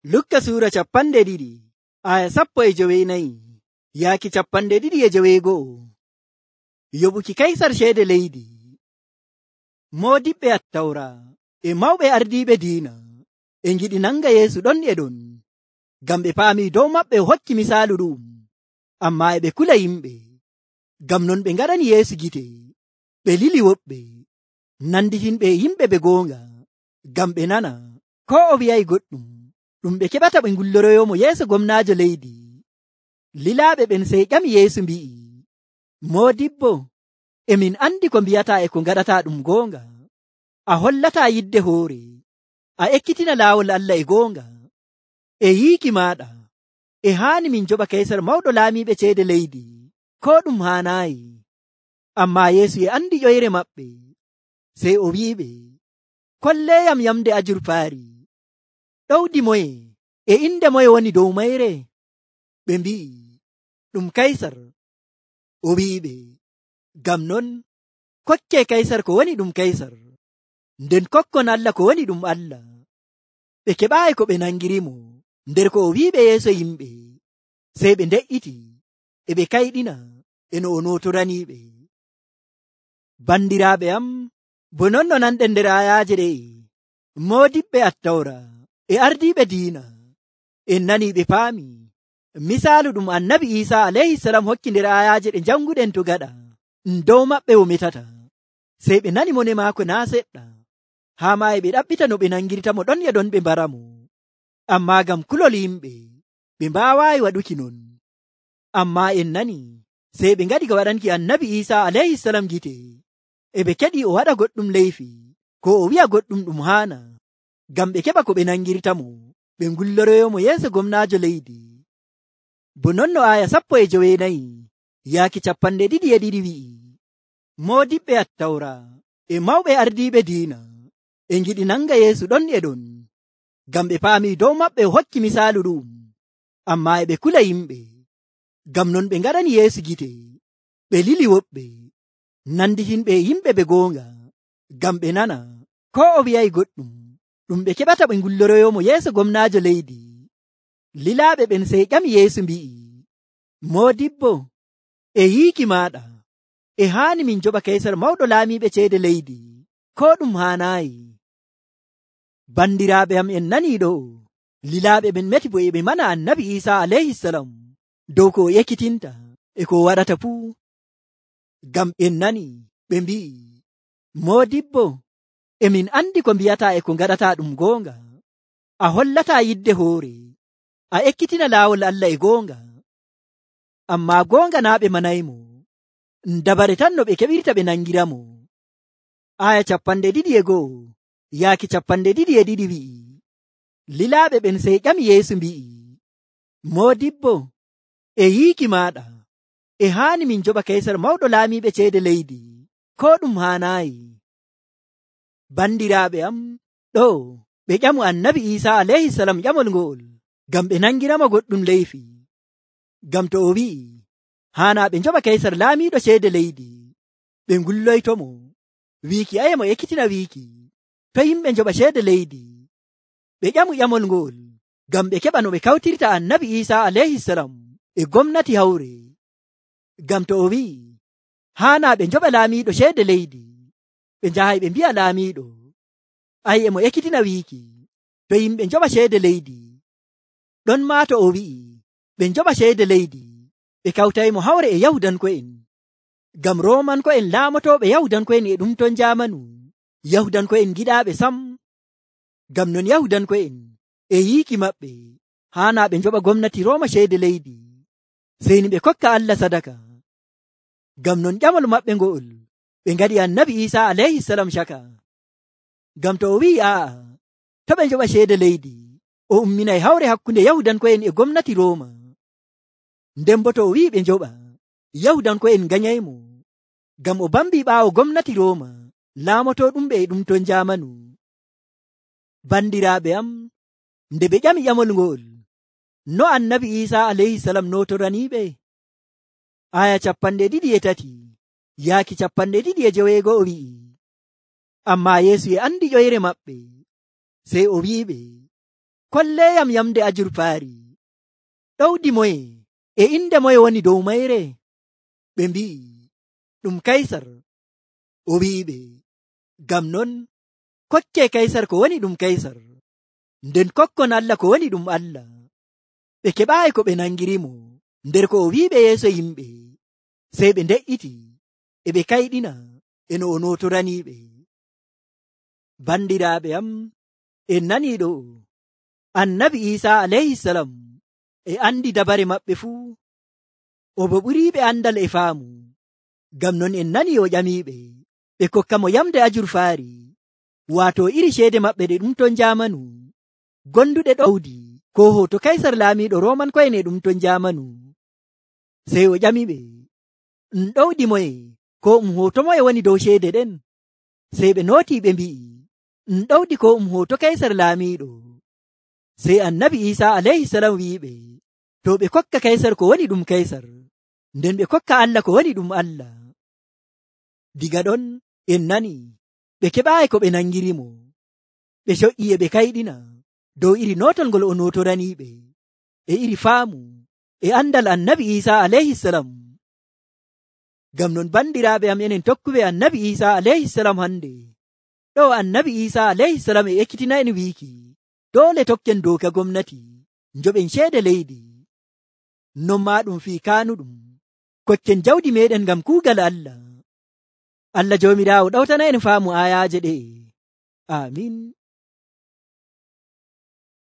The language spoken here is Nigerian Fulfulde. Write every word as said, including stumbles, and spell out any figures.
Lukka suura capanɗe ɗiɗi aya sappo e jowenayi yaaki capanɗe ɗiɗi e joweego'o. Yoɓuki kaisar ceede leydi. Moodiɓɓe attawra e mawɓe ardiiɓe diina e ngiɗi nanga Yeesu ɗon e ɗon, ngam ɓe paami dow maɓɓe o hokki misaalu ɗu'um, amma e ɓe kula yimɓe. Ngam non ɓe ngaɗani Yeesu gite, ɓe lili woɓɓe, nanditinɓe e yimɓe ɓe goonga, ngam ɓe nana ko o wi'ay goɗɗum ɗum ɓe keɓata ɓe ngulloroyomo yeeso gomnaajo leydi. Lilaaɓe ɓen sey ƴami Yeesu mbi'i, Moodibbo, emin andi ko mbi'ataa e ko ngaɗataa ɗum goonga. A hollataa yidde hoore, a ekkitina laawol Allah e goonga. E yiiki maaɗa e haani min joɓa Kaysar mawɗo laamiiɓe ceede leydi, ko ɗum haanaayi. Ammaa Yeesu e andi ƴoyre maɓɓe, sey o wi'iɓe, kolleeyam yamde ajurfaari. Ɗowdi moye e inde moye woni dow mayre? Ɓe mbi'i, ɗum Kaysar. O wi'iɓe, ngam non kokke Kaysar ko woni ɗum Kaysar, nden kokkon Allah ko woni ɗum Allah. Ɓe keɓaayi ko ɓe nangirimo nder ko o wi'iɓe yeeso yimɓe, sey ɓe nde'iti e ɓe kayɗina e no o nootoraniiɓe. Bandiraaɓe am, bo non no nanɗen nder ayaaje ɗe'e, moodiɓɓe attawra e ardiiɓe diina en nanii ɓe paami misaalu ɗum annabi Iisaa alayhisalam hokki nder ayaaje ɗe janguɗen to gaɗa dow maɓɓe o metata. Sey ɓe nani mone maako naa seɗɗa, haa ma e ɓe ɗaɓɓita no ɓe nangirtamo ɗon e ɗon ɓe mbaramo. Ammaa ngam kulol yimɓe ɓe mbaawaayi waɗuki non. Ammaa en nani sey ɓe ngaɗi ga waɗanki annabi Iisaa alayhisalam gite, e ɓe keɗi o waɗa goɗɗum leyfi ko o wi'a goɗɗum ɗum haana, ngam ɓe keɓa ko ɓe nangirtamo ɓe ngulloroyomo yeeso gomnaajo leydi. Bo non no aya sappo e jowenayi yaaki capanɗe ɗiɗi e ɗiɗi wi'i, moodiɓɓe attawra e mawɓe ardiiɓe diina e ngiɗi nanga Yeesu ɗon e ɗon, ngam ɓe paami dow maɓɓe o hokki misaalu ɗu'um, amma e ɓe kula yimɓe. Ngam non ɓe ngaɗani Yeesu gite, ɓe lili woɓɓe, nanditinɓe e yimɓe ɓe goonga, ngam ɓe nana ko o wi'ay goɗɗum ɗum ɓe keɓata ɓe ngulloroyomo yeeso gomnaajo leydi. Lilaaɓe ɓen sey ƴami Yeesu mbi'i, Moodibbo, e yiiki maaɗa e haani min joɓa Kaysar mawɗo laamiiɓe ceede leydi, ko ɗum haanaayi. Bandiraaɓe am, en nanii ɗo'o, lilaaɓe ɓen meti bo e ɓe mana annabi Iisaa alayhisalam dow ko o ekkitinta e ko o waɗata fuu. Ngam en nani ɓe mbi'i, Moodibbo, emin andi ko mbi'ataa e ko ngaɗataa ɗum goonga. A hollataa yidde hoore, a ekkitina laawol Allah e goonga. Ammaa goonga naa ɓe manaymo, dabare tan no ɓe keɓirta ɓe nangiramo. Aya capanɗe ɗiɗi e go'o yaaki capanɗe ɗiɗi e ɗiɗi wi'i, lilaaɓe ɓen sey ƴami Yeesu mbi'i, Moodibbo, e yiiki maaɗa e haani min joɓa Kaysar mawɗo laamiiɓe ceede leydi, ko ɗum haanaayi. Bandiraaɓe am, ɗo ɓe ƴamu annabi Iisaa alayhisalam ƴamol ngo'ol ngam ɓe nangirama goɗɗum leyfi. Ngam to o wi'i haanaa ɓe njoɓa Kaysar laamiiɗo ceede leydi, ɓe ngulloytomo wiiki aye mo ekkitina wiiki to yimɓe njoɓa ceede leydi. Ɓe ƴamu ƴamol ngo'ol ngam ɓe keɓa no ɓe kawtirta annabi Iisaa alayhisalam e gomnati hawre. Ngam to o wi'i haanaa ɓe njoɓa laamiiɗo ceede leydi, ɓe njahay ɓe mbi'a laamiiɗo, ay e mo ekkitina wiiki to yimɓe njoɓa ceede leydi. Ɗon maa to o wi'i ɓe njoɓa ceede leydi, ɓe kawtaymo hawre e Yahudanko'en, ngam Roomanko'en laamotooɓe Yahudanko'en e ɗum ton jaamanu, Yahudanko'en giɗaaɓe sam. Ngam non Yahudanko'en e yiiki maɓɓe haanaa ɓe njoɓa gomnati Rooma ceede leydi, sey ni ɓe kokka Allah sadaka. Ngam non ƴamol maɓɓe ngo'ol ɓe ngaɗi annabi Iisaa alayhisalam caka. Ngam to o wi'i aa'a to ɓe njoɓa ceede leydi, o umminay hawre hakkunde Yahudanko'en e gomnati Rooma. Nden bo to o wi'i ɓe njoɓa, Yahudanko'en ganyaymo, ngam o bambi ɓaawo gomnati Rooma laamotooɗumɓe e ɗum ton jaamanu. Bandiraaɓe am, nde ɓe ƴami ƴamol ngo'ol, no annabi Iisaa alayhisalam nootoraniiɓe? Aya capanɗe ɗiɗi e tati yaaki capanɗe ɗiɗi e joweego'o wi'i, ammaa Yeesu e andi ƴoyre maɓɓe, sey o wi'iɓe, kolleyam yamde ajurfaari. Ɗowdi moye e inde moye woni dow mayre? Ɓe mbi'i, ɗum Kaysar. O wi'iɓe, ngam non kokke Kaysar ko woni ɗum Kaysar, nden kokkon Allah ko woni ɗum Allah. Ɓe keɓaayi ko ɓe nangirimo nder ko o wi'iɓe yeeso yimɓe, sey ɓe nde'iti e ɓe kayɗina e no o notoraniiɓe. Bandiraaɓe am, en nanii ɗo Annabi Iisaa alayhisalam e andi dabare maɓɓe fuu, o bo ɓuriiɓe andal e faamu. Ngam non en nanii o ƴamiiɓe ɓe kokka mo yamde ajurfaari, waato iri ceede maɓɓe ɗe ɗum ton jaamanu gonduɗe ɗowdi, ko hoto Kaysar laamiiɗo Rooman ko'en e ɗum ton jaamanu. Sey o ƴamiɓe, ɗum ɗowdi moye ko um hoto moye woni dow ceede ɗen? Sey ɓe nootii ɓe mbi'i, ɗum ɗowdi ko um hoto Kaysar laamiiɗo. Sey Annabi Iisaa alayhisalam wi'iɓe, to ɓe kokka Kaysar ko woni ɗum Kaysar, nden ɓe kokka Allah ko woni ɗum Allah. Diga ɗon en nani ɓe keɓaayi ko ɓe nangirimo, ɓe coƴƴi e ɓe kayɗina dow iri notol ngol o notoraniiɓe e iri faamu e andal Annabi Iisaa alayhisalam. Ngam non bandiraaɓe am, enen tokkuɓe Annabi Iisaa alayhisalam hande, ɗo Annabi Iisaa alayhisalam e ekkitina en wiiki doole tokken dooka gomnati njoɓen ceede leydi. Non maa ɗum fii kaanuɗum kokken jawdi meɗen ngam kuugal Allah. Allah Joomiraawo ɗawtana en faamu ayaaje ɗe. Amin.